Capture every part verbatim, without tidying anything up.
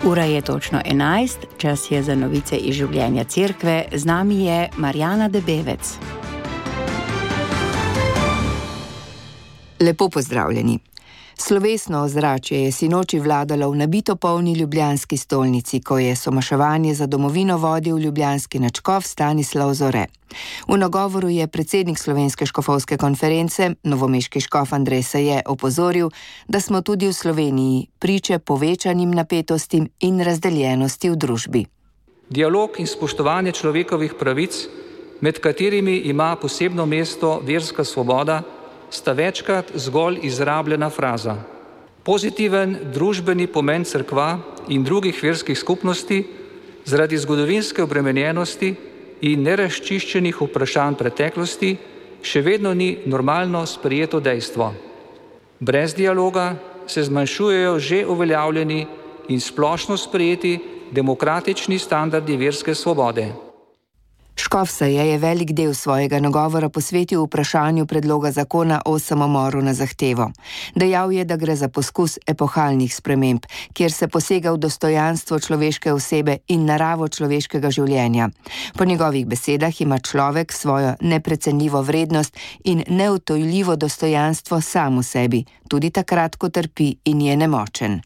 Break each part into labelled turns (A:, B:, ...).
A: Ura je točno enajst, čas je za novice iz življenja cerkve. Z nami je Marjana Debevec.
B: Lepo pozdravljeni. Slovesno ozračje je sinoči vladalo v nabito polni ljubljanski stolnici, ko je somaševanje za domovino vodil ljubljanski nadškof Stanislav Zore. V nagovoru je predsednik Slovenske škofovske konference, novomeški škof Andrej Saje, opozoril, da smo tudi v Sloveniji priče povečanim napetostim in razdeljenosti v družbi.
C: Dialog in spoštovanje človekovih pravic, med katerimi ima posebno mesto verska svoboda, sta večkrat zgolj izrabljena fraza. Pozitiven družbeni pomen cerkva in drugih verskih skupnosti zaradi zgodovinske obremenjenosti in nerazčiščenih vprašanj preteklosti še vedno ni normalno sprejeto dejstvo. Brez dialoga se zmanjšujejo že uveljavljeni in splošno sprejeti demokratični standardi verske svobode.
B: Škof Saje je velik del svojega nagovora posvetil vprašanju predloga zakona o samomoru na zahtevo. Dejal je, da gre za poskus epohalnih sprememb, kjer se posega v dostojanstvo človeške osebe in naravo človeškega življenja. Po njegovih besedah ima človek svojo neprecenljivo vrednost in neodtujljivo dostojanstvo sam v sebi, tudi takrat, ko trpi in je nemočen.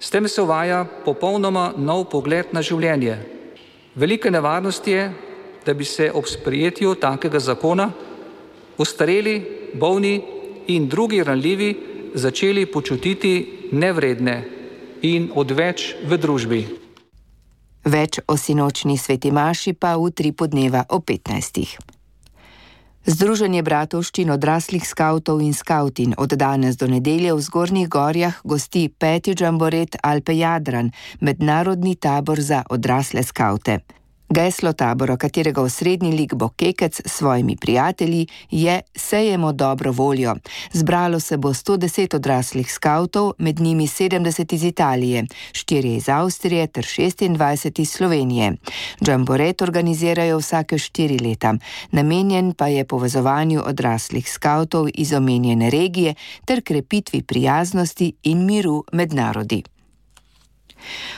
C: S tem se uvaja popolnoma nov pogled na življenje. Velika nevarnost je, da bi se ob sprejetju takega zakona ostareli, bolni in drugi ranljivi začeli počutiti nevredne in odveč v družbi.
B: Več o sinočni sveti maši pa v tri podneva o petnajstih. Združenje bratovščin odraslih skavtov in skavtin od danes do nedelje v Zgornjih Gorjah gosti peti džamboret Alpe Jadran, mednarodni tabor za odrasle skavte. Geslo tabora, katerega osrednji lik bo Kekec s svojimi prijatelji, je Sejemo dobro voljo. Zbralo se bo sto deset odraslih skavtov, med njimi sedemdeset iz Italije, štirje iz Avstrije ter šestindvajset iz Slovenije. Džamboret organizirajo vsake štiri leta, namenjen pa je povezovanju odraslih skavtov iz omenjene regije ter krepitvi prijaznosti in miru med narodi.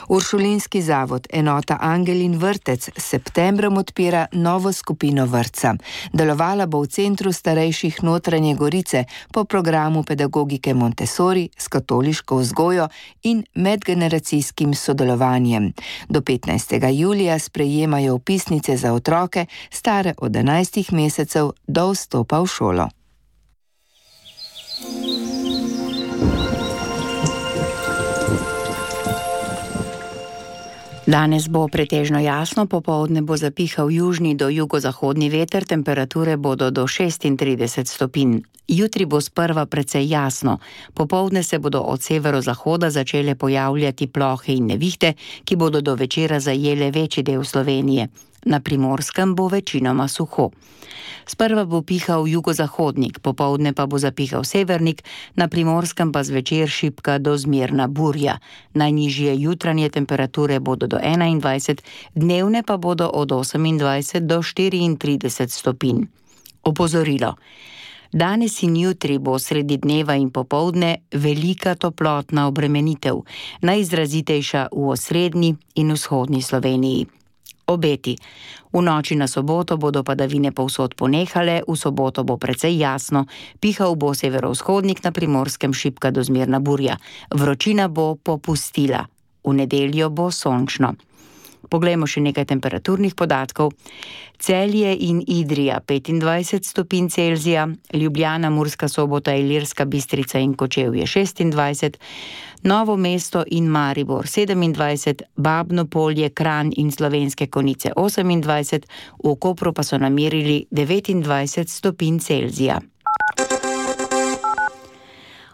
B: Uršulinski zavod enota Angel in vrtec s septembrom odpira novo skupino vrtca. Delovala bo v centru starejših Notranje Gorice po programu pedagogike Montessori s katoliško vzgojo in medgeneracijskim sodelovanjem. Do petnajstega julija sprejemajo vpisnice za otroke stare od enajstih mesecev do vstopa v šolo.
A: Danes bo pretežno jasno, popoldne bo zapihal južni do jugozahodni veter, temperature bodo do šestintrideset stopinj. Jutri bo sprva precej jasno, popoldne se bodo od severozahoda začele pojavljati plohe in nevihte, ki bodo do večera zajele večji del Slovenije. Na Primorskem bo večinoma suho. Sprva bo pihal jugozahodnik, popoldne pa bo zapihal severnik, na Primorskem pa zvečer šibka do zmerna burja. Najnižje jutranje temperature bodo do enaindvajset, dnevne pa bodo od osemindvajset do štiriintrideset stopinj. Opozorilo. Danes in jutri bo sredi dneva in popoldne velika toplotna obremenitev, najizrazitejša v osrednji in vzhodni Sloveniji. Obeti. V noči na soboto bodo padavine povsod ponehale, v soboto bo precej jasno, pihal bo severovzhodnik, na Primorskem šibka do zmerna burja. Vročina bo popustila. V nedeljo bo sončno. Poglejmo še nekaj temperaturnih podatkov. Celje in Idrija petindvajset stopinj Celzija, Ljubljana, Murska Sobota, Ilirska Bistrica in Kočevje šestindvajset, Novo mesto in Maribor sedemindvajset, Babno Polje, Kranj in Slovenske Konjice osemindvajset, v Kopru pa so namerili devetindvajset stopinj Celzija.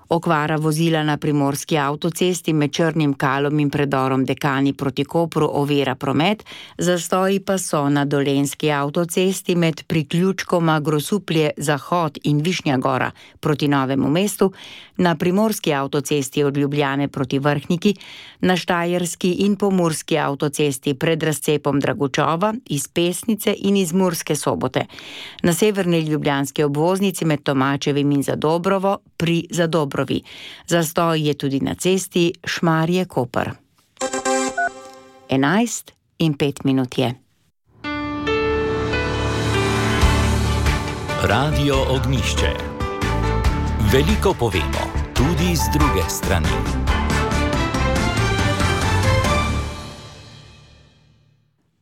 A: Okvara vozila na primorski avtocesti med Črnim Kalom in predorom Dekani proti Kopru ovira promet, zastoji pa so na dolenjski avtocesti med priključkoma Grosuplje Zahod in Višnja Gora proti Novemu mestu, na primorski avtocesti od Ljubljane proti Vrhniki, na štajerski in pomurski avtocesti pred razcepom Dragučova, iz Pesnice in iz Murske Sobote, na severni ljubljanski obvoznici med Tomačevim in Zadobrovo pri Zadobrovi. Zastoj je tudi na cesti Šmarje-Koper. Enajst in pet minut je.
D: Radio Ognjišče. Veliko povemo, tudi z druge strani.